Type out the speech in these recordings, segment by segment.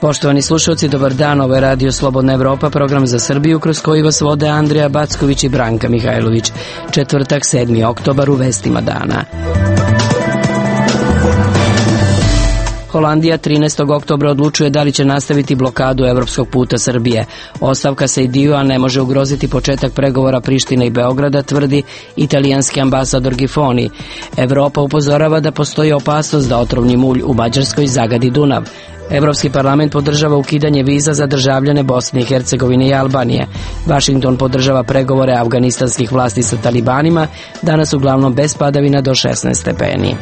Poštovani slušalci, dobar dan, ovo je Radio Slobodna Evropa, program za Srbiju kroz koji vas vode Andrija Backović i Branka Mihajlović. Četvrtak, 7. oktobar, u vestima dana. Holandija 13. oktobra odlučuje da li će nastaviti blokadu evropskog puta Srbije. Ostavka Sejdiju-a ne može ugroziti početak pregovora Prištine i Beograda, tvrdi italijanski ambasador Gifoni. Evropa upozorava da postoji opasnost da otrovni mulj u Mađarskoj zagadi Dunav. Evropski parlament podržava ukidanje viza za državljane Bosne i Hercegovine i Albanije. Vašington podržava pregovore afganistanskih vlasti sa talibanima, danas uglavnom bez padavina do 16 stepeni.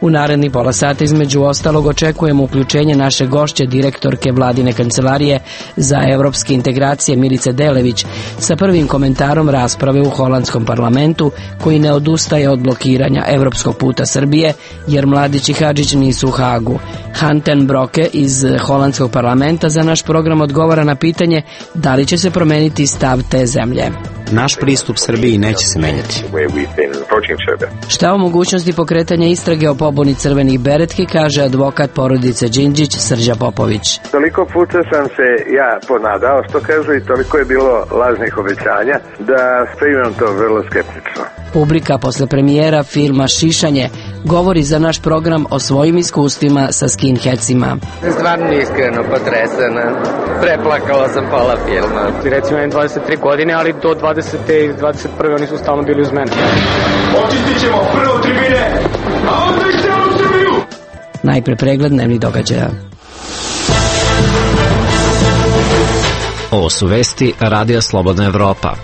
U narednih pola sata između ostalog očekujemo uključenje naše gošće, direktorke vladine kancelarije za evropske integracije Milice Delević, sa prvim komentarom rasprave u holandskom parlamentu koji ne odustaje od blokiranja evropskog puta Srbije jer Mladić i Hadžić nisu u Hagu. Han ten Broeke iz holandskog parlamenta za naš program odgovara na pitanje da li će se promeniti stav te zemlje. Naš pristup Srbiji neće se menjati. Šta o mogućnosti pokretanja istrage o pobuni crvenih beretki, kaže advokat porodice Đinđić Srđa Popović. Toliko puta sam se ja ponadao, što kažu, i toliko je bilo lažnih obećanja da primam to vrlo skeptično. Publika posle premijera filma Šišanje govori za naš program o svojim iskustvima sa skinheadsima. Stvarno iskreno potresena. Preplakala sam pola filma. Recimo, imam 23 godine, ali do 20. i 21. oni su stalno bili uz mene. Očistit ćemo prvo tribine, a onda i celu Srbiju! Najpre pregled dnevnih događaja. Ovo su vesti Radija Slobodna Evropa.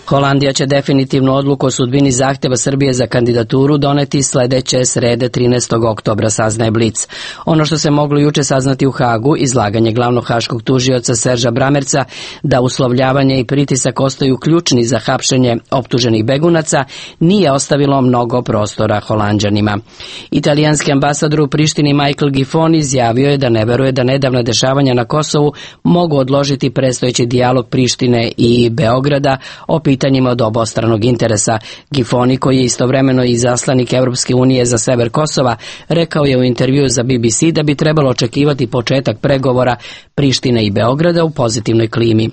Holandija će definitivnu odluku o sudbini zahtjeva Srbije za kandidaturu doneti sledeće srede 13. oktobra, saznaje Blic. Ono što se moglo juče saznati u Hagu, izlaganje glavnog haškog tužioca Serža Bramerca da uslovljavanje i pritisak ostaju ključni za hapšenje optuženih begunaca, nije ostavilo mnogo prostora Holanđanima. Italijanski ambasador u Prištini Michael Gifoni izjavio je da ne veruje da nedavna dešavanja na Kosovu mogu odložiti predstojeći dijalog Prištine i Beograda o pitanjima od obostranog interesa. Gifoni, koji je istovremeno i izaslanik Evropske unije za sever Kosova, rekao je u intervjuu za BBC da bi trebalo očekivati početak pregovora Prištine i Beograda u pozitivnoj klimi.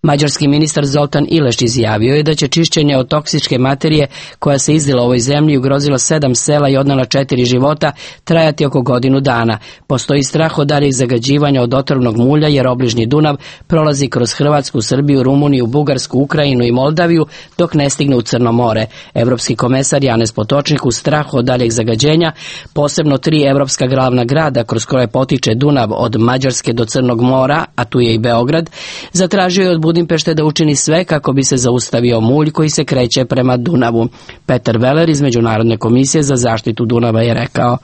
Mađarski ministar Zoltan Ileš izjavio je da će čišćenje od toksičke materije koja se izdila u ovoj zemlji i ugrozila 7 sela i odnela 4 života trajati oko godinu dana. Postoji strah od daljih zagađivanja od otrovnog mulja jer obližnji Dunav prolazi kroz Hrvatsku, Srbiju, Rumuniju, Bugarsku, Ukrajinu i Moldaviju dok ne stigne u Crno more. Evropski komesar Janez Potočnik u strahu od daljeg zagađenja, posebno 3 evropska glavna grada kroz koje potiče Dunav od Mađarske do Crnog mora, a tu je i Beograd, zatražio je od Budimpešte da učini sve kako bi se zaustavio mulj koji se kreće prema Dunavu. Petar Veler iz Međunarodne komisije za zaštitu Dunava je rekao: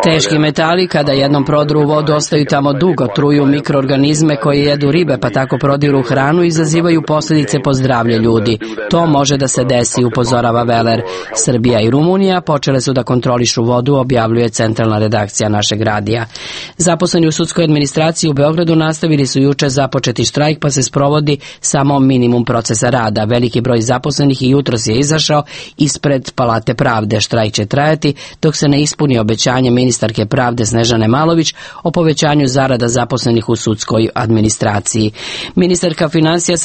teški metali kada jednom prodru u vodu ostaju tamo dugo, truju mikroorganizme koji jedu ribe pa tako prodiru hranu i izazivaju posljedice po zdravlje ljudi. To može da se desi, upozorava Veler. Srbija i Rumunija počele su da kontrolišu vodu, objavljuje centralna redakcija našeg radija. Zaposleni u sudskoj administraciji u Beogradu nastavili su juče započeti štrajk pa se sprovodi samo minimum procesa rada. Veliki broj zaposlenih i jutros je izašao ispred Palate pravde. Štrajk će trajati dok se ne ispuni obećanje ministarke pravde Snežane Malović o povećanju zarada zaposlenih u sudskoj administraciji. Ministarka finansija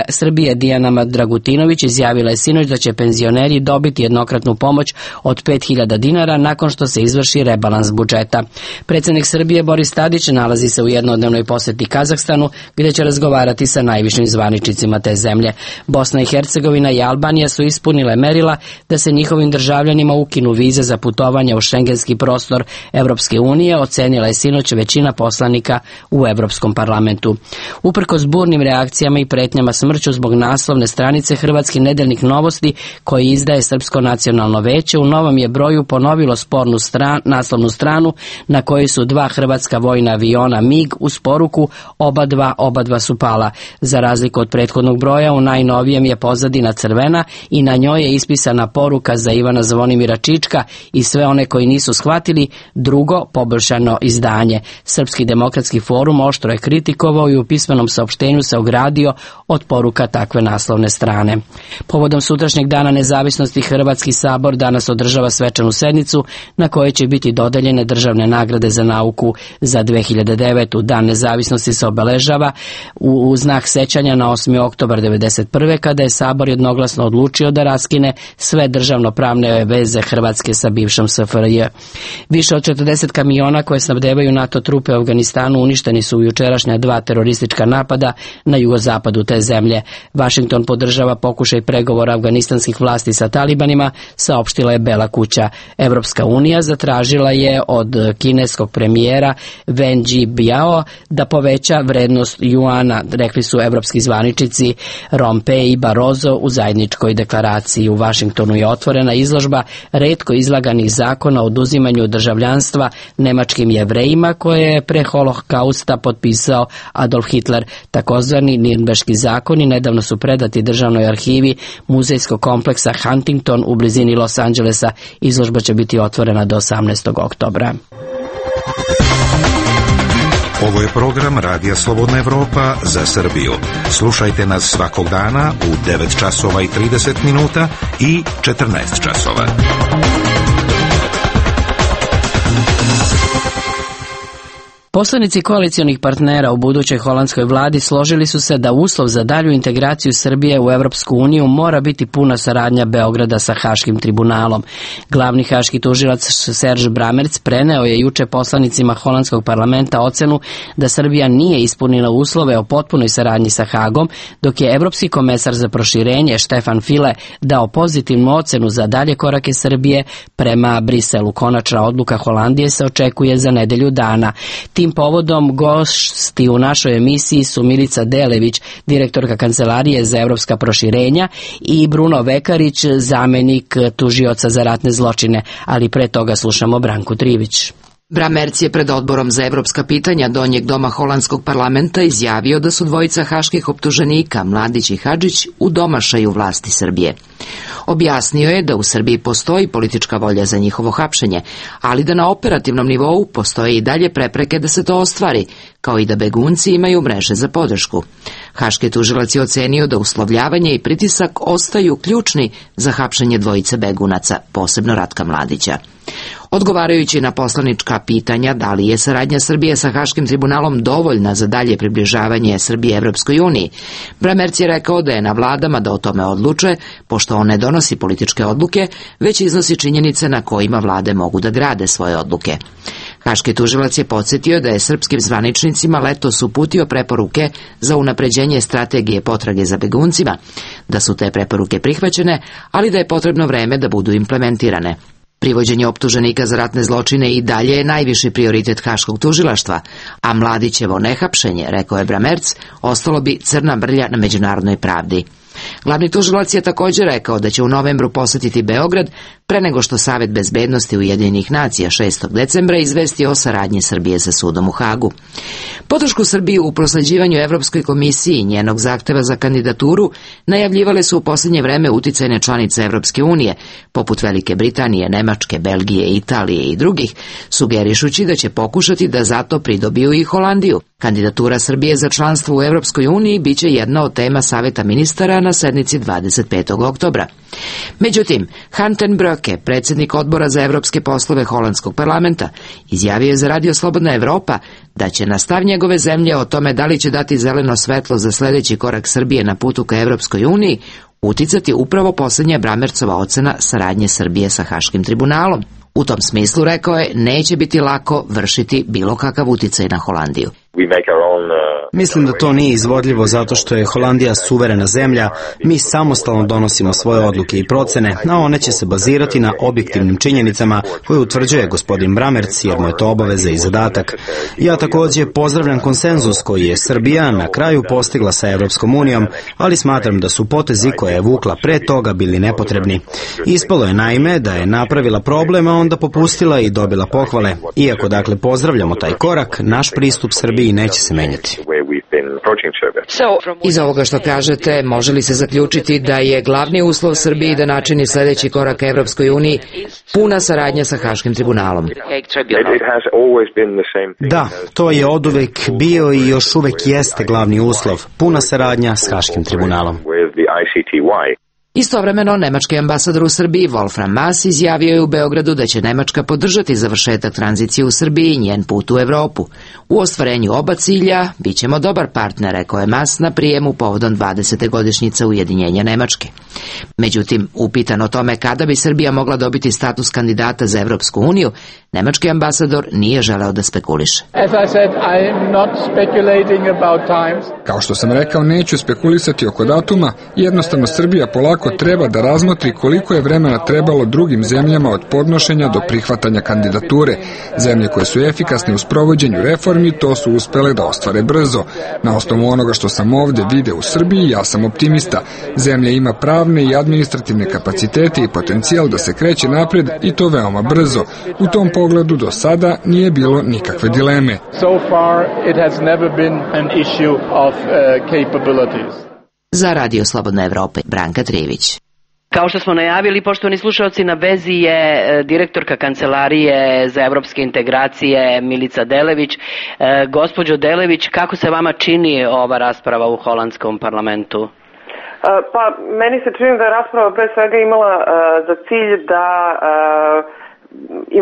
Srbije Dijana Dragutinović izjavila je sinoć da će penzioneri dobiti jednokratnu pomoć od 5.000 dinara nakon što se izvrši rebalans budžeta. Predsjednik Srbije Boris Tadić nalazi se u jednodnevnoj posjeti Kazahstanu gdje će razgovarati sa najvišim zvaničnicima te zemlje. Bosna i Hercegovina i Albanija su ispunile merila da se njihovim državljanima ukinu vize za putovanje u šengenski prostor Evropske unije, ocenila je sinoć većina poslanika u Evropskom parlamentu. Uprkos burnim reakcijama i pretnjama smrću zbog naslovne stranice Hrvatski nedeljnik Novosti koji izdaje Srpsko nacionalno veće u novom je broju ponovilo spornu naslovnu stranu na kojoj su 2 hrvatska vojna aviona MiG uz poruku oba dva su pala. Za razliku od prethodnog broja, u najnovijem je pozadina crvena i na njoj je ispisana poruka za Ivana Zvonimira Čička i sve one koji nisu shvatili, drugo poboljšano izdanje. Srpski demokratski forum oštro je kritikovao i u pismenom saopštenju se ogradio od poruka takve naslovne strane. Povodom sutrašnjeg dana nezavisnosti Hrvatski sabor danas održava svečanu sednicu na kojoj će biti dodeljene državne nagrade za nauku za 2009. Dan nezavisnosti se obeležava u znak sećanja na 8. oktobar 1991. kada je sabor jednoglasno odlučio da raskine sve državnopravne veze Hrvatske sa bivšom SFRJ. Više od 40 kamiona koje snabdevaju NATO trupe u Afganistanu uništeni su u jučerašnja 2 teroristička napada na jugozapadu te zemlje. Washington podržava pokušaj pregovora afganistanskih vlasti sa talibanima, saopštila je Bela kuća. Evropska unija zatražila je od kineskog premijera Wen Jiabao da poveća vrednost juana, rekli su evropski zvaničnici Rompuy i Barroso u zajedničkoj deklaraciji. U Washingtonu je otvorena izložba retko izlaganih zakona o oduzimanju državljanstva nemačkim Jevrejima koje je pre Holokausta potpisao Adolf Hitler. Takozvani Nirnberški zakoni nedavno su predati državnoj arhivi muzejskog kompleksa Huntington u blizini Los Angelesa. Izložba će biti otvorena do 18. oktobra. Ovo je program Radija Slobodna Evropa za Srbiju. Slušajte nas svakog dana u 9 časova i 30 minuta i 14 časova. Poslanici koalicionih partnera u budućoj holandskoj vladi složili su se da uslov za dalju integraciju Srbije u Evropsku uniju mora biti puna saradnja Beograda sa Haškim tribunalom. Glavni haški tužilac Serge Brammertz preneo je juče poslanicima holandskog parlamenta ocenu da Srbija nije ispunila uslove o potpunoj saradnji sa Hagom, dok je evropski komesar za proširenje Stefan Füle dao pozitivnu ocenu za dalje korake Srbije prema Briselu. Konačna odluka Holandije se očekuje za nedelju dana. Tim povodom gosti u našoj emisiji su Milica Delević, direktorka Kancelarije za evropska proširenja, i Bruno Vekarić, zamenik tužioca za ratne zločine, ali pre toga slušamo Branku Trivić. Brammertz je pred odborom za evropska pitanja Donjeg doma holandskog parlamenta izjavio da su dvojica haških optuženika, Mladić i Hadžić, u domašaju vlasti Srbije. Objasnio je da u Srbiji postoji politička volja za njihovo hapšenje, ali da na operativnom nivou postoje i dalje prepreke da se to ostvari, kao i da begunci imaju mreže za podršku. Haški tužilac je ocenio da uslovljavanje i pritisak ostaju ključni za hapšenje dvojice begunaca, posebno Ratka Mladića. Odgovarajući na poslanička pitanja da li je saradnja Srbije sa Haškim tribunalom dovoljna za dalje približavanje Srbije Evropskoj uniji, Brammertz je rekao da je na vladama da o tome odluče, pošto on ne donosi političke odluke, već iznosi činjenice na kojima vlade mogu da grade svoje odluke. Haški tužilac je podsjetio da je srpskim zvaničnicima letos uputio preporuke za unapređenje strategije potrage za beguncima, da su te preporuke prihvaćene, ali da je potrebno vreme da budu implementirane. Privođenje optuženika za ratne zločine i dalje je najviši prioritet haškog tužilaštva, a Mladićevo nehapšenje, rekao je Brammertz, ostalo bi crna mrlja na međunarodnoj pravdi. Glavni tužilac je također rekao da će u novembru posetiti Beograd pre nego što Savet bezbednosti Ujedinjenih nacija 6. decembra izvesti o saradnji Srbije sa sudom u Hagu. Podršku Srbiji u prosleđivanju Evropskoj komisiji i njenog zahteva za kandidaturu najavljivale su u posljednje vreme uticajne članice Evropske unije, poput Velike Britanije, Nemačke, Belgije, Italije i drugih, sugerišući da će pokušati da zato pridobiju i Holandiju. Kandidatura Srbije za članstvo u Evropskoj uniji biće jedna od tema Saveta ministara na sednici 25. oktobra. Međutim, Han ten Broeke, predsjednik odbora za evropske poslove holandskog parlamenta, izjavio je za Radio Slobodna Evropa da će na stav njegove zemlje o tome da li će dati zeleno svetlo za sljedeći korak Srbije na putu ka Evropskoj uniji uticati upravo posljednja Brammertzova ocena saradnje Srbije sa Haškim tribunalom. U tom smislu, rekao je, neće biti lako vršiti bilo kakav uticaj na Holandiju. Mislim da to nije izvodljivo zato što je Holandija suverena zemlja, mi samostalno donosimo svoje odluke i procene, a one će se bazirati na objektivnim činjenicama koje utvrđuje gospodin Brammertz, jer mu je to obaveza i zadatak. Ja također pozdravljam konsenzus koji je Srbija na kraju postigla sa Evropskom unijom, ali smatram da su potezi koje je vukla pre toga bili nepotrebni. Ispalo je naime da je napravila problem, a onda popustila i dobila pohvale. Iako dakle pozdravljamo taj korak, naš pristup Srbije Srbiji neće se menjati. Iz ovoga što kažete, može li se zaključiti da je glavni uslov Srbiji da načini sljedeći korak Evropskoj uniji puna saradnja sa Haškim tribunalom? Da, to je oduvek bio i još uvek jeste glavni uslov, puna saradnja s Haškim tribunalom. Istovremeno, nemački ambasador u Srbiji Wolfram Maass izjavio je u Beogradu da će Nemačka podržati završetak tranzicije u Srbiji i njen put u Evropu. U ostvarenju oba cilja bit ćemo dobar partner, rekao je Maass na prijemu povodom 20. godišnjice ujedinjenja Nemačke. Međutim, upitan o tome kada bi Srbija mogla dobiti status kandidata za Evropsku uniju, nemački ambasador nije želeo da spekuliše. Kao što sam rekao, neću spekulisati oko datuma, jednostavno Srbija polako treba da razmotri koliko je vremena trebalo drugim zemljama od podnošenja do prihvatanja kandidature. Zemlje koje su efikasne u sprovođenju reformi to su uspele da ostvare brzo. Na osnovu onoga što sam ovdje video u Srbiji, ja sam optimista. Zemlja ima pravne i administrativne kapacitete i potencijal da se kreće napred i to veoma brzo. U tom pogledu do sada nije bilo nikakve dileme. Za Radio Slobodna Evropa, Branka Trijević. Kao što smo najavili, poštovani slušalci, na vezi je direktorka Kancelarije za evropske integracije Milica Delević. Gospođo Delević, kako se vama čini ova rasprava u holandskom parlamentu? Pa, meni se čini da je rasprava pre svega imala za cilj da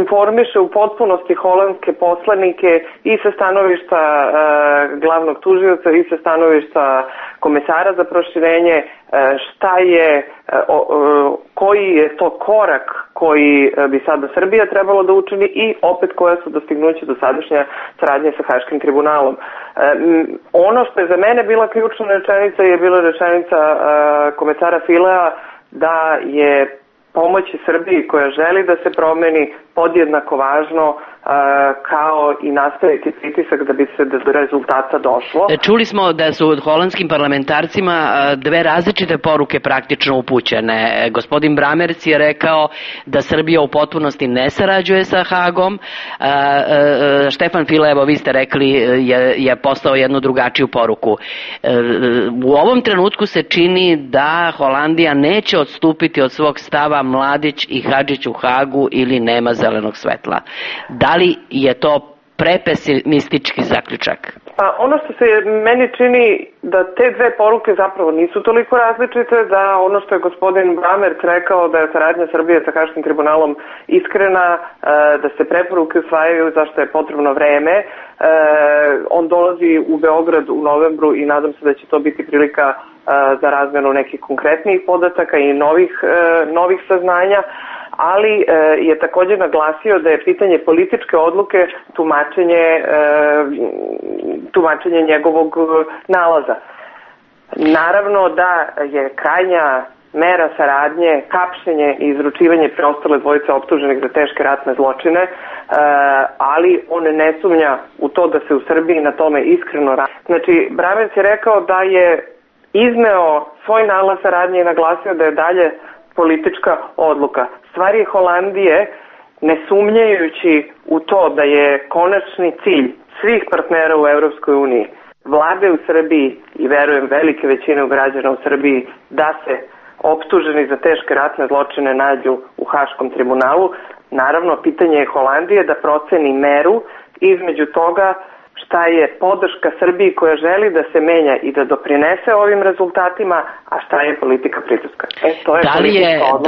informiše u potpunosti holandske poslanike i sa stanovišta glavnog tužioca i sa stanovišta komesara za proširenje, šta je, koji je to korak koji bi sada Srbija trebalo da učini i opet koja su dostignuća dosadašnja saradnje sa Haškim tribunalom. Ono što je za mene bila ključna rečenica je bila rečenica komesara Filea da je pomoći Srbiji koja želi da se promeni podjednako važno kao i nastaviti pritisak da bi se do rezultata došlo. Čuli smo da su holandskim parlamentarcima dve različite poruke praktično upućene. Gospodin Brammertz je rekao da Srbija u potpunosti ne sarađuje sa Hagom. Štefan File, evo vi ste rekli, je poslao jednu drugačiju poruku. U ovom trenutku se čini da Holandija neće odstupiti od svog stava Mladić i Hadžić u Hagu ili nema zelenog svetla. Da li je to prepesimistički zaključak? Pa ono što se meni čini da te dve poruke zapravo nisu toliko različite, da ono što je gospodin Brammertz rekao da je saradnja Srbije sa Haškim tribunalom iskrena, da se preporuke usvajaju zašto je potrebno vreme. On dolazi u Beograd u novembru i nadam se da će to biti prilika za razmenu nekih konkretnijih podataka i novih saznanja, ali je također naglasio da je pitanje političke odluke tumačenje njegovog nalaza. Naravno da je krajnja mera saradnje, hapšenje i izručivanje preostale dvojice optuženih za teške ratne zločine, ali on ne sumnja u to da se u Srbiji na tome iskreno radi. Znači, Brammertz je rekao da je izneo svoj nalaz saradnje i naglasio da je dalje politička odluka. Stvar je Holandije, ne sumnjajući u to da je konačni cilj svih partnera u Evropskoj uniji, vlade u Srbiji i verujem velike većine građana u Srbiji, da se optuženi za teške ratne zločine nađu u Haškom tribunalu. Naravno, pitanje je Holandije da proceni meru između toga šta je podrška Srbiji koja želi da se menja i da doprinese ovim rezultatima, a šta je politika pritiska.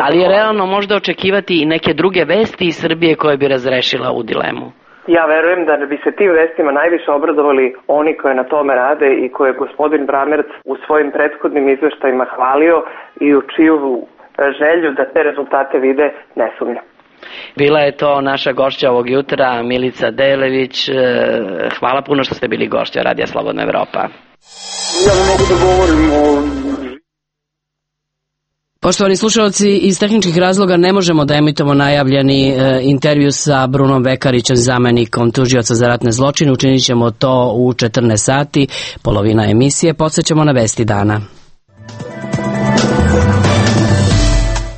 Da li je realno možda očekivati i neke druge vesti iz Srbije koje bi razrešila ovu dilemu? Ja verujem da bi se tim vestima najviše obradovali oni koji na tome rade i koje je gospodin Brammertz u svojim prethodnim izveštajima hvalio i u čiju želju da te rezultate vide ne sumnja. Bila je to naša gošća ovog jutra, Milica Delević. Hvala puno što ste bili gošća Radija Slobodna Evropa. Ja ne mogu da govorim o... Poštovani slušalci, iz tehničkih razloga ne možemo da emitujemo najavljeni intervju sa Brunom Vekarićem, zamenikom tužioca za ratne zločine. Učinit ćemo to u 14 sati, polovina emisije. Podsećamo na vesti dana.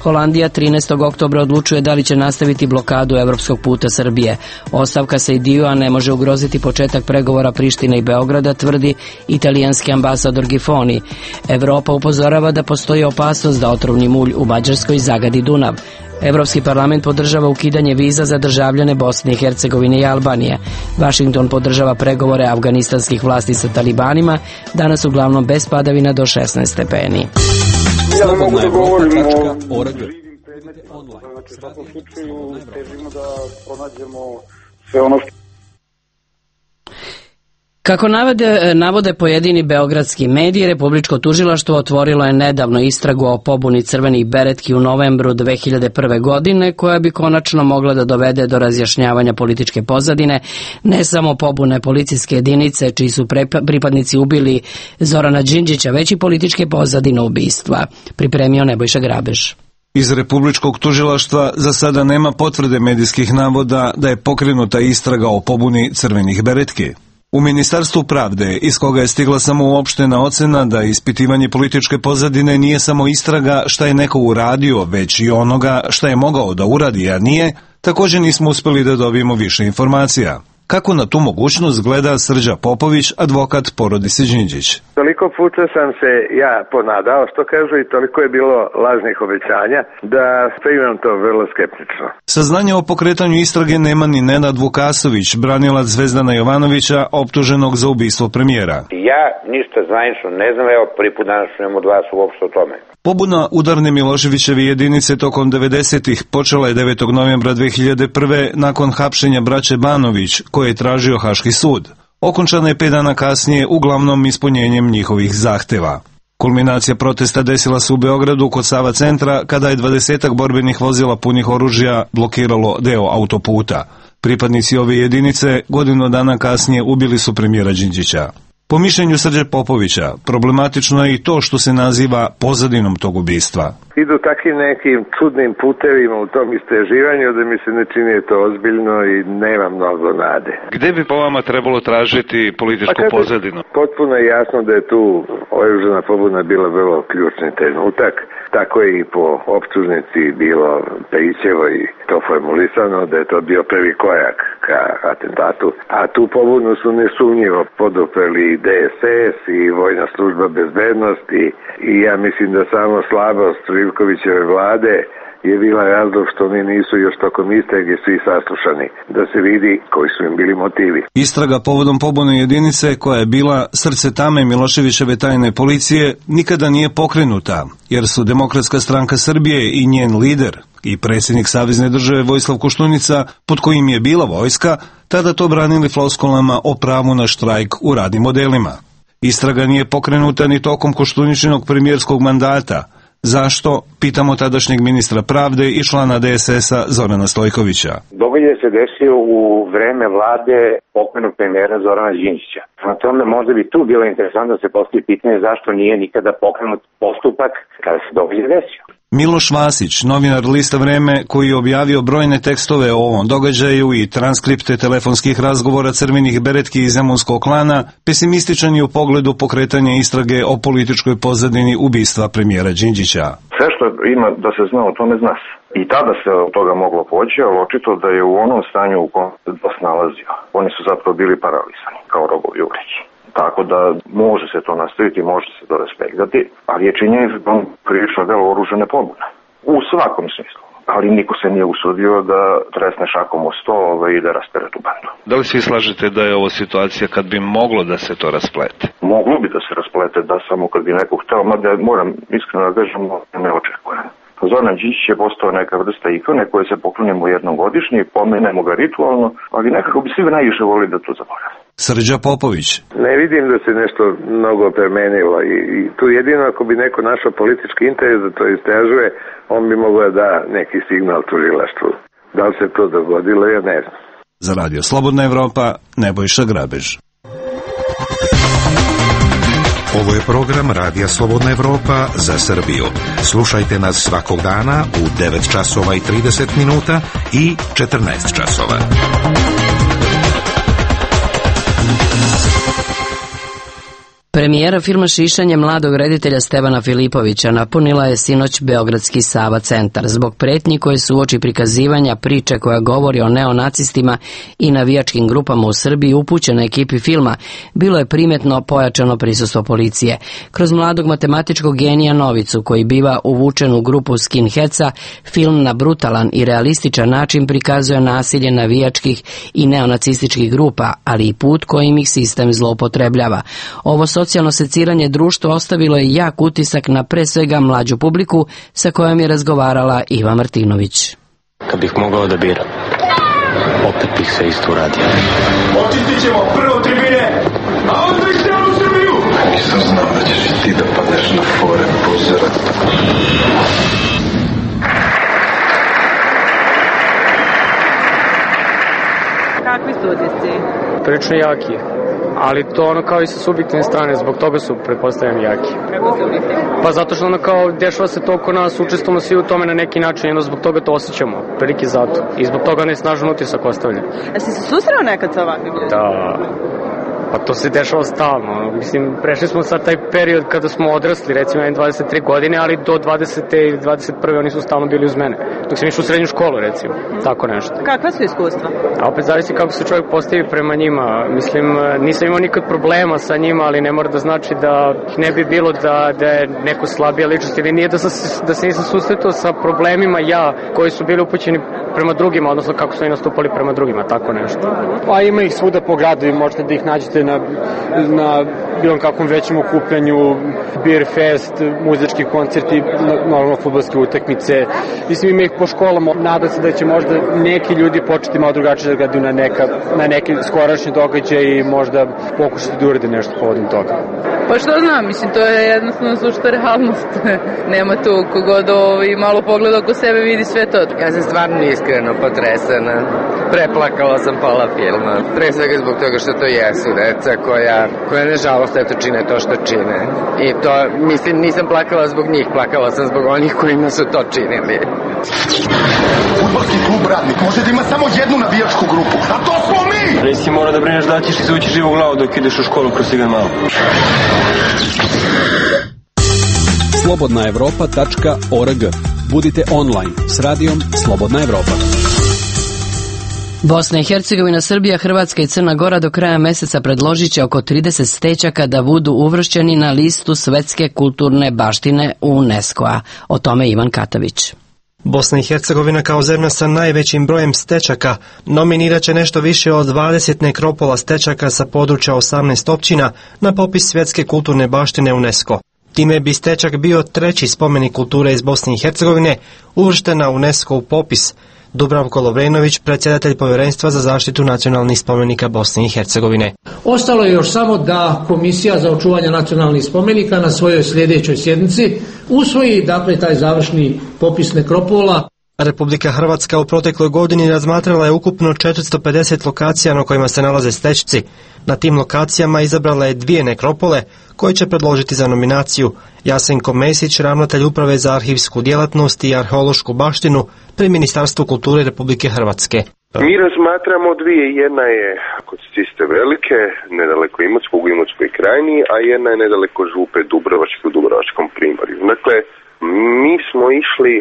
Holandija 13. oktobra odlučuje da li će nastaviti blokadu evropskog puta Srbije. Ostavka Sejdiua ne može ugroziti početak pregovora Prištine i Beograda, tvrdi italijanski ambasador Gifoni. Evropa upozorava da postoji opasnost da otrovni mulj u Mađarskoj zagadi Dunav. Evropski parlament podržava ukidanje viza za državljane Bosne i Hercegovine i Albanije. Vašington podržava pregovore afganistanskih vlasti sa talibanima, danas uglavnom bez padavina do 16 stepeni. Ja mogu da govorim o živim predmetima. Znači, u svakom slučaju težimo da pronađemo sve ono što... Kako navode pojedini beogradski mediji, Republičko tužilaštvo otvorilo je nedavno istragu o pobuni crvenih beretki u novembru 2001. godine, koja bi konačno mogla da dovede do razjašnjavanja političke pozadine, ne samo pobune policijske jedinice čiji su pripadnici ubili Zorana Đinđića, već i političke pozadine ubistva. Pripremio Nebojša Grabež. Iz Republičkog tužilaštva za sada nema potvrde medijskih navoda da je pokrenuta istraga o pobuni crvenih beretki. U Ministarstvu pravde, iz koga je stigla samo uopštena ocena da ispitivanje političke pozadine nije samo istraga šta je neko uradio, već i onoga šta je mogao da uradi, a nije, također nismo uspeli da dobijemo više informacija. Kako na tu mogućnost gleda Srđa Popović, advokat porodice Đinđić? Toliko puta sam se ja ponadao, što kažu, i toliko je bilo lažnih obećanja, da primam to vrlo skeptično. Saznanje o pokretanju istrage nema ni Nenad Vukasović, branilac Zvezdana Jovanovića, optuženog za ubistvo premijera. Ja ništa zvanično ne znam, evo prvi put danas čujem od vas uopšte o tome. Pobuna udarne Miloševićeve jedinice tokom 90-ih počela je 9. novembra 2001. nakon hapšenja braće Banović, koje je tražio Haški sud. Okončana je 5 dana kasnije, uglavnom ispunjenjem njihovih zahteva. Kulminacija protesta desila se u Beogradu kod Sava centra, kada je 20 borbenih vozila punih oružja blokiralo deo autoputa. Pripadnici ove jedinice godinu dana kasnije ubili su premijera Đinđića. Po mišljenju Srđe Popovića, problematično je i to što se naziva pozadinom tog ubistva. Idu takvim nekim čudnim putevima u tom istraživanju da mi se ne čini to ozbiljno i nema mnogo nade. Gde bi po vama trebalo tražiti političku pozadinu? Potpuno je jasno da je tu oružana pobuna bila vrlo ključni trenutak. Tako je i po optužnici bilo Pejićevo i to formulisano da je to bio prvi korak ka atentatu. A tu pobunu su nesumnjivo podupreli DSS i Vojna služba bezbednosti i ja mislim da samo slabost Živkovićeve vlade je bila razlog što oni nisu još tokom istrage svi saslušani, da se vidi koji su im bili motivi. Istraga povodom pobune jedinice, koja je bila srce tame Miloševićeve tajne policije, nikada nije pokrenuta, jer su Demokratska stranka Srbije i njen lider i predsjednik Savezne države Vojislav Koštunica, pod kojim je bila vojska, tada to branili floskulama o pravu na štrajk u radnim odelima. Istraga nije pokrenuta ni tokom Koštuničinog premijerskog mandata. Zašto? Pitamo tadašnjeg ministra pravde i člana DSS-a Zorana Stojkovića. Događaj se desio u vreme vlade pokojnog premijera Zorana Đinđića. Na tome možda bi tu bilo interesantno da se postavi pitanje zašto nije nikada pokrenut postupak kada se događaj desio. Miloš Vasić, novinar lista Vreme, koji je objavio brojne tekstove o ovom događaju i transkripte telefonskih razgovora crvenih beretki iz zemunskog klana, pesimističan je u pogledu pokretanja istrage o političkoj pozadini ubistva premijera Đinđića. Sve što ima da se zna o tome zna se. I tada se od toga moglo poći, ali očito da je u onom stanju u kojem se DOS nalazio. Oni su zapravo bili paralizani, kao rogovi u vreći. Tako da može se to nastaviti, može se to respektati, ali je činjenica da on prilično delo oružane pobune. U svakom smislu. Ali niko se nije usudio da tresne šakom o sto i da raspere tu bandu. Da li svi slažete da je ovo situacija kad bi moglo da se to rasplete? Moglo bi da se rasplete, da samo kad bi neko hteo, mada moram iskreno da kažem, ne očekujem. Zoran Đinđić je postao neka vrsta ikone koje se poklonimo jednom godišnje i pomenemo ga ritualno, ali nekako bi svi najviše volili da to zaboravimo. Srđa Popović. Ne vidim da se nešto mnogo promenilo i tu jedino ako bi neko našao politički interes da to istražuje, on bi mogao da da neki signal tužilaštvu. Da li se to dogodilo, ja ne znam. Za Radio Slobodna Evropa, Nebojša Grabež. Ovo je program Radija Slobodna Evropa za Srbiju. Slušajte nas svakog dana u 9 časova i 30 minuta i 14 časova. Premijera filma Šišanje mladog reditelja Stevana Filipovića napunila je sinoć Beogradski Sava centar. Zbog pretnji koje su uoči prikazivanja priče koja govori o neonacistima i navijačkim grupama u Srbiji upućena ekipi filma, bilo je primetno pojačano prisustvo policije. Kroz mladog matematičkog genija Novicu, koji biva uvučen u grupu skinheadsa, film na brutalan i realističan način prikazuje nasilje navijačkih i neonacističkih grupa, ali i put kojim ih sistem zloupotrebljava. Ovo socijalno seciranje društva ostavilo je jak utisak na pre svega mlađu publiku sa kojom je razgovarala Iva Martinović. Kad bih mogao da biram, opet bih sve isto uradio. Očistit ćemo prvo tribine, a onda i cijelu Srbiju! Nisam znao da ćeš i ti da padneš na fore pozora. Kakvi su utisci? Prilično jaki. Ali to ono kao i sa subjektivne strane, zbog toga su, pretpostavljam, jaki. Kako subjektivne? Pa zato što ono kao dešava se to oko nas, učestvujemo svi u tome na neki način i onda zbog toga to osjećamo, prilike zato. I zbog toga ne snažan utisak ostavlja. A si se susreo nekad sa ovakvim ljudima? Da, pa to se dešava stalno. Mislim, prešli smo sad taj period kada smo odrasli, recimo 23 godine, ali do 20. i 21. oni su stalno bili uz mene. Dok sam išao u srednju školu, recimo, tako nešto. Kakva su iskustva? A opet zavisi kako se čovjek postavi prema njima. Mislim, nisam imao nikad problema sa njima, ali ne mora da znači da ne bi bilo da je neko slabija ličnost ili nije da se nisam susretao sa problemima koji su bili upućeni prema drugima, odnosno kako su i nastupali prema drugima, tako nešto. Pa ima ih svuda po gradu i možete da ih nađete na bilo kakvom većem okupljanju, beer fest, muzički koncerti, normalno fudbalske utakmice. Mislim, ima ih po školama. Nadam se da će možda neki ljudi početi malo drugačije da gledaju na neke skorašnje događaje i možda pokušati da urede nešto povodom toga. Pa što znam, mislim, to je jednostavno sušta realnost. Nema tu kogod malo pogleda oko sebe vidi sve to. Ja sam stvarno iskreno potresena. Preplakala sam pola filma. Pre svega zbog toga što to jesu deca koja nažalost eto čine to što čine. I to, mislim, nisam plakala zbog njih, plakala sam zbog onih kojima su to činili. Fudbalski klub Radnik može da ima samo jednu navijačku grupu, a to smo mi! Reci mora da brineš da ćeš izvući živu glavu dok ideš u školu kroz Sigan malo. slobodnaevropa.org. Budite online s radijom Slobodna Evropa. Bosna i Hercegovina, Srbija, Hrvatska i Crna Gora do kraja meseca predložit će oko 30 stečaka da budu uvršćeni na listu svetske kulturne baštine UNESCO-a. O tome Ivan Katavić. Bosna i Hercegovina kao zemlja sa najvećim brojem stečaka nominirat će nešto više od 20 nekropola stečaka sa područja 18 općina na popis svjetske kulturne baštine UNESCO. Time bi stečak bio treći spomenik kulture iz Bosne i Hercegovine uvršten na UNESCO popis. Dubravko Lovrenović, predsjedatelj Povjerenstva za zaštitu nacionalnih spomenika Bosne i Hercegovine. Ostalo je još samo da Komisija za očuvanje nacionalnih spomenika na svojoj sljedećoj sjednici usvoji dakle taj završni popis nekropola. Republika Hrvatska u protekloj godini razmatrala je ukupno 450 lokacija na kojima se nalaze stečci. Na tim lokacijama izabrala je 2 nekropole koje će predložiti za nominaciju. Jasenko Mesić, ravnatelj Uprave za arhivsku djelatnost i arheološku baštinu pri Ministarstvu kulture Republike Hrvatske. Mi razmatramo 2. Jedna je kod Ciste Velike, nedaleko Imotskog u Imotskoj krajini, a jedna je nedaleko Župe Dubrovačke u Dubrovačkom primorju. Dakle, mi smo išli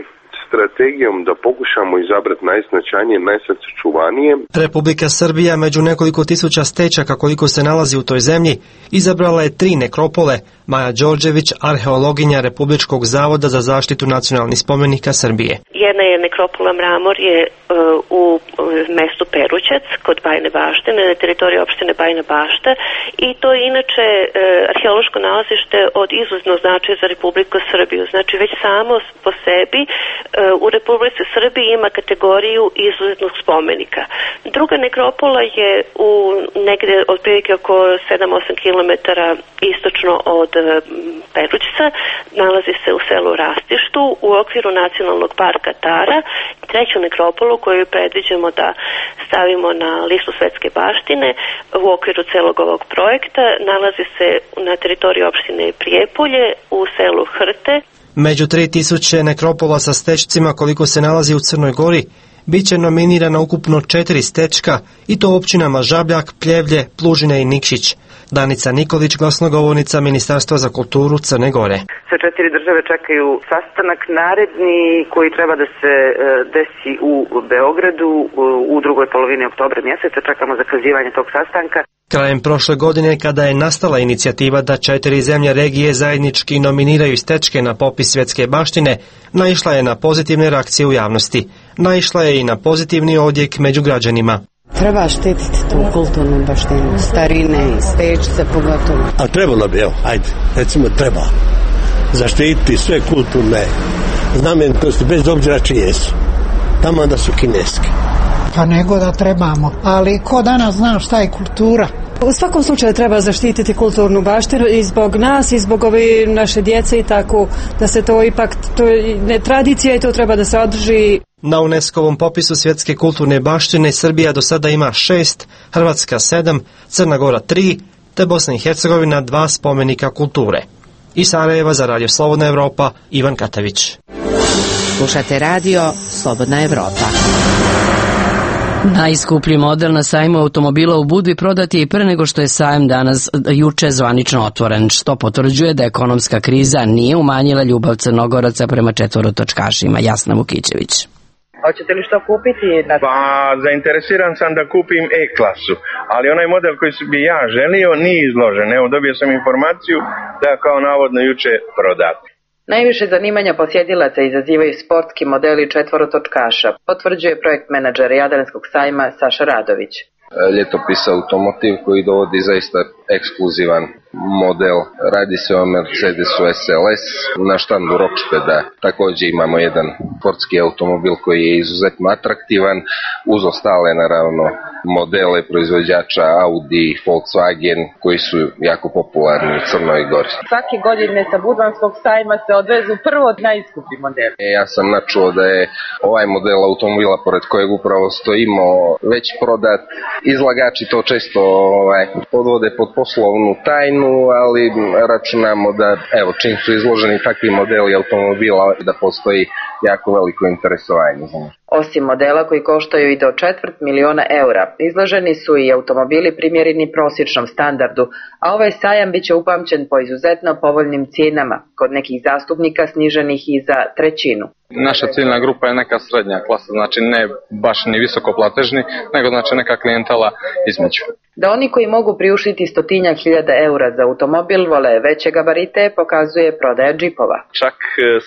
strategijom da pokušamo izabrati najznačajnije, najsačuvanije. Republika Srbija među nekoliko tisuća stečaka koliko se nalazi u toj zemlji izabrala je 3 nekropole. Maja Đorđević, arheologinja Republičkog zavoda za zaštitu nacionalnih spomenika Srbije. Jedna je nekropola Mramor je u mestu Perućac kod Bajine Bašte, na teritoriji opštine Bajina Bašta, i to je inače arheološko nalazište od izuzetnog značaja za Republiku Srbiju. Znači već samo po sebi u Republici Srbiji ima kategoriju izuzetnog spomenika. Druga nekropola je u negde otprilike oko 7-8 km istočno od Perućca, nalazi se u selu Rastištu u okviru Nacionalnog parka Tara. Treću nekropolu koju predviđamo da stavimo na listu svetske baštine u okviru celog ovog projekta nalazi se na teritoriji opštine Prijepolje u selu Hrte. Među 3000 nekropola sa stečcima koliko se nalazi u Crnoj Gori, Biće nominirana ukupno 4 stečka i to općinama Žabljak, Pljevlje, Plužine i Nikšić. Danica Nikolić, glasnogovornica Ministarstva za kulturu Crne Gore. Sve 4 države čekaju sastanak naredni koji treba da se desi u Beogradu u drugoj polovini oktobra mjeseca. Čekamo zakazivanje tog sastanka. Krajem prošle godine, kada je nastala inicijativa da 4 zemlje regije zajednički nominiraju stečke na popis svjetske baštine, naišla je na pozitivne reakcije u javnosti. Naišla je i na pozitivni odjek među građanima. Treba štititi tu kulturnu baštinu, starine i stečice pogotovo. A trebalo bi, evo, ajde, recimo treba zaštititi sve kulturne znamenitosti, bez obzira čije su. Tamo da su kineski. Pa nego da trebamo, ali ko danas zna šta je kultura? U svakom slučaju treba zaštititi kulturnu baštinu i zbog nas i zbog ove naše djece i tako, da se to ipak, to je tradicija i to treba da se održi. Na UNESCO-vom popisu svjetske kulturne baštine Srbija do sada ima 6, Hrvatska 7, Crna Gora 3, te Bosna i Hercegovina 2 spomenika kulture. Iz Sarajeva za Radio Slobodna Evropa, Ivan Katavić. Slušate radio Slobodna Evropa. Najskuplji model na sajmu automobila u Budvi prodat je i pre nego što je sajam juče zvanično otvoren, što potvrđuje da ekonomska kriza nije umanjila ljubav Crnogoraca prema četvorotočkašima. Jasna Vukićević. Hoćete li što kupiti? Pa, zainteresiran sam da kupim E-klasu, ali onaj model koji bi ja želio nije izložen. Evo, dobio sam informaciju da kao navodno juče prodat. Najviše zanimanja posjetilaca izazivaju sportski modeli četvorotočkaša, potvrđuje projekt menadžer Jadranskog sajma Saša Radović. Ljetopis automotiv koji dovodi zaista ekskluzivan model. Radi se o Mercedesu SLS na štandu Rockspeda. Također imamo jedan sportski automobil koji je izuzetno atraktivan uz ostale naravno modele proizvođača Audi, Volkswagen koji su jako popularni u Crnoj Gori. Svake godine sa Budvanskog sajma se odvezu prvo najskuplji model. Ja sam načuo da je ovaj model automobila pored kojeg upravo stojimo već prodat. Izlagači to često podvode pod poslovnu tajnu, ali računamo da evo čim su izloženi takvi modeli automobila da postoji jako veliko interesovanje za njih. Osim modela koji koštaju i do 250.000 eura, izloženi su i automobili primjereni prosječnom standardu, a ovaj sajam bit će upamćen po izuzetno povoljnim cijenama, kod nekih zastupnika sniženih i za trećinu. Naša ciljna grupa je neka srednja klasa, znači ne baš ni visokoplatežni, nego znači neka klijentela između. Da oni koji mogu priuštiti 100.000 eura za automobil vole veće gabarite, pokazuje prodaja džipova. Čak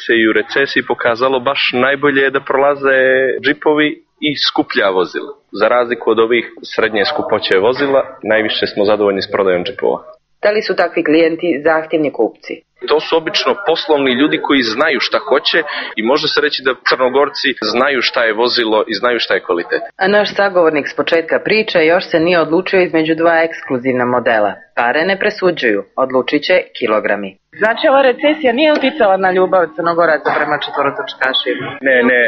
se i u recesiji pokazalo baš najbolje da prolaze džipovi i skuplja vozila. Za razliku od ovih srednje skupoće vozila, najviše smo zadovoljni s prodajom džipova. Da li su takvi klijenti zahtjevni kupci? To su obično poslovni ljudi koji znaju šta hoće i može se reći da Crnogorci znaju šta je vozilo i znaju šta je kvalitet. A naš sagovornik s početka priče još se nije odlučio između dva ekskluzivna modela. Pare ne presuđuju, odlučit će kilogrami. Znači ova recesija nije uticala na ljubav Crnogoraca prema četvorotočkašima?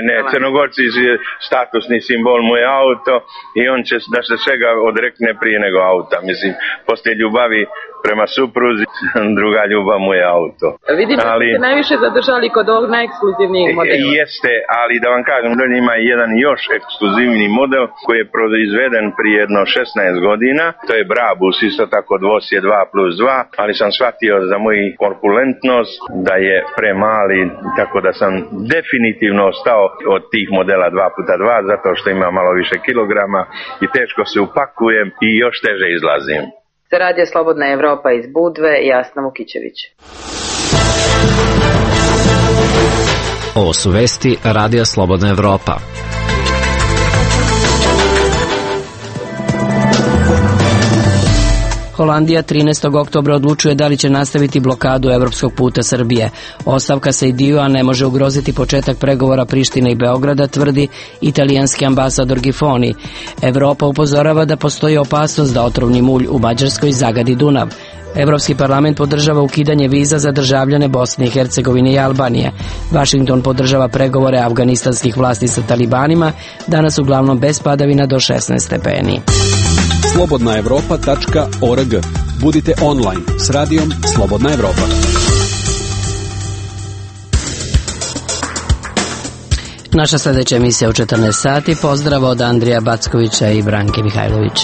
Ne, Crnogorci je statusni simbol mu je auto i on će da se svega odrekne prije nego auta. Mislim, poslije ljubavi prema supruzi, druga ljubav mu je auto. Vidimo da ste najviše zadržali kod ovog najekskluzivnijeg modela. Jeste, ali da vam kažem, da ima jedan još ekskluzivni model koji je proizveden prije jedno 16 godina. To je Brabus, isto tako dvosje 2+2, ali sam shvatio za moju korpulentnost da je premali, tako da sam definitivno ostao od tih modela 2x2 zato što ima malo više kilograma i teško se upakujem i još teže izlazim. Za Radio Slobodna Evropa iz Budve, Jasna Vukićević. Ovo su vesti Radio Slobodna Evropa. Holandija 13. oktobra odlučuje da li će nastaviti blokadu evropskog puta Srbije. Ostavka Sejdiua ne može ugroziti početak pregovora Prištine i Beograda, tvrdi italijanski ambasador Gifoni. Evropa upozorava da postoji opasnost da otrovni mulj u Mađarskoj zagadi Dunav. Evropski parlament podržava ukidanje viza za državljane Bosne i Hercegovine i Albanije. Vašington podržava pregovore afganistanskih vlasti sa talibanima, danas uglavnom bez padavina do 16 stepeni. slobodnaevropa.org. Budite online s radijom Slobodna Evropa. Naša sljedeća emisija u 14 sati. Pozdrav od Andrija Backovića i Branke Mihajlović.